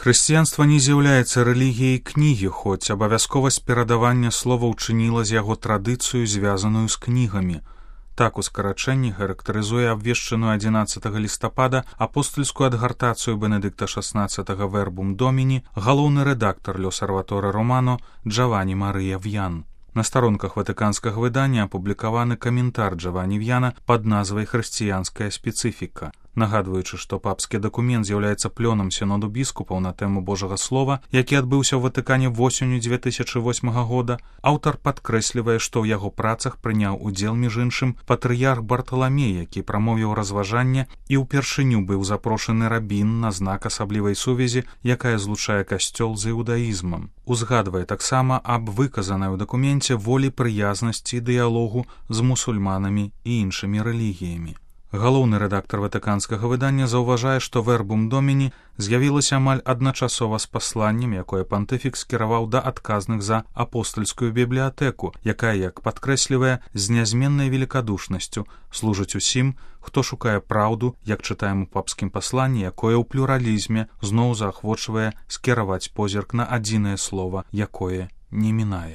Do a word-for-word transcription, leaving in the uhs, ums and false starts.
Хрысціянства не з'яўляецца рэлігіяй кнігі, хоць абавязковасць перадавання слова ўчыніла з яго традыцыю, звязаную з кнігамі. Так у скарачэнні характарызуе абвешчаную адзінаццатага лістапада апостальскую адгартацыю Бенедыкта шаснаццатага Вербум Доміні галоўны рэдактар L'Osservatore Romano Джавані Марыя В'ян. На старонках ватыканскага выдання апублікаваны каментар Джавані В'яна пад назвай «Хрысціянская спецыфіка». Нагадваючы, што папскі дакумент з'яўляецца плёнам сіноду біскупаў на тэму Божага Слова, які адбыўся ў Ватыкане восенню дзве тысячы восьмага года, аўтар падкрэслівае, што ў яго працах прыняў удзел, між іншым, патрыярх Барталамей, які прамовіў разважанне і ўпершыню быў запрошаны рабін на знак асаблівай сувязі, якая злучае касцёл з іудаізмам. Узгадвае таксама аб выказанай у дакуменце волі прыязнасці і дыялогу з мусульманамі і іншымі рэлігіямі. Галоўны рэдактар ватыканскага выдання заўважае, што Вербум Доміні з'явілася амаль адначасова з пасланнем, якое пантыфік скіраваў да адказных за апостальскую бібліятэку, якая, як падкрэслівае, з нязменнай велікадушнасцю служыць усім, хто шукае праўду, як чытаем у папскім пасланні, якое ў плюралізме зноў заахвочвае скіраваць позірк на адзінае слова, якое не мінае.